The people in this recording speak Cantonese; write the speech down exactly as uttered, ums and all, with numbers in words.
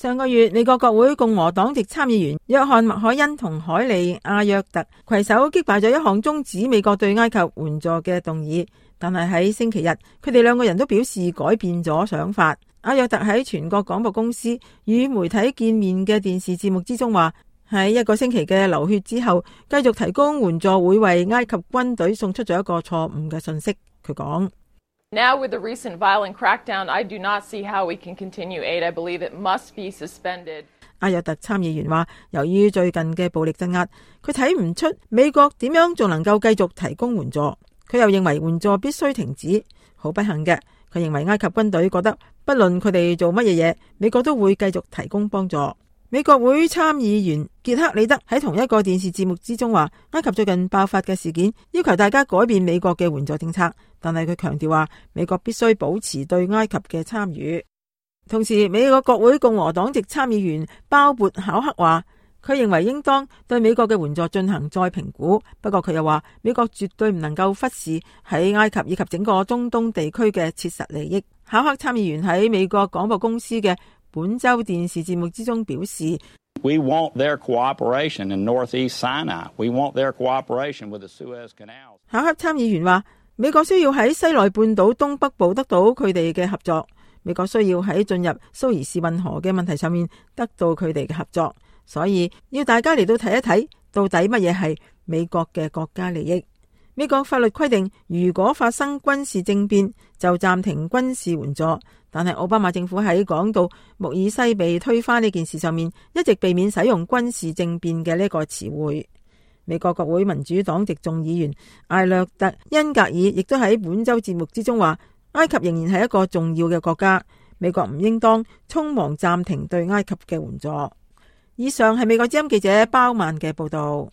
上個月，美國國會共和黨籍參議員約翰麥凱恩同海利阿約特攜手擊敗咗一項終止美國對埃及援助嘅動議，但係喺星期日，佢哋兩個人都表示改變咗想法。阿約特喺全國廣播公司與媒體見面嘅電視節目之中話，喺一個星期嘅流血之後，繼續提供援助會為埃及軍隊送出咗一個錯誤嘅信息。佢講：Now with the recent violent crackdown, I do not see how we can continue aid. I believe it must be suspended. 阿約特參議員話，由於最近嘅暴力鎮壓，佢睇唔出美國點樣仲能夠繼續提供援助。佢又認為援助必須停止。好不幸嘅，佢認為埃及軍隊覺得不論佢哋做乜嘢嘢，美國都會繼續提供幫助。美國會參議員傑克里德喺同一個電視節目之中話，埃及最近爆發嘅事件要求大家改變美國嘅援助政策，但係佢強調話，美國必須保持對埃及嘅參與。同時，美國國會共和黨籍參議員鮑勃考克話，佢認為應當對美國嘅援助進行再評估，不過佢又話，美國絕對唔能夠忽視喺埃及以及整個中東地區嘅切實利益。考克參議員喺美國廣播公司嘅本周電視節目之中表示 We want their cooperation in Northeast Sinai. We want their cooperation with the Suez Canal. 考克參議員話，美國需要喺西奈半島東北部得到佢哋嘅合作，美國需要喺進入蘇伊士運河嘅問題上面得到佢哋嘅合作，所以要大家嚟到睇一睇到底乜嘢係美國嘅國家利益。美國法律規定，如果發生軍事政變就暫停軍事援助，但係奧巴馬政府喺講到穆爾西被推翻呢件事上面，一直避免使用軍事政變嘅呢個詞彙。美國國會民主黨籍眾議員艾略特恩格爾亦都喺本周節目之中話，埃及仍然係一個重要嘅國家，美國唔應當匆忙暫停對埃及嘅援助。以上係美國之音記者包曼嘅報道。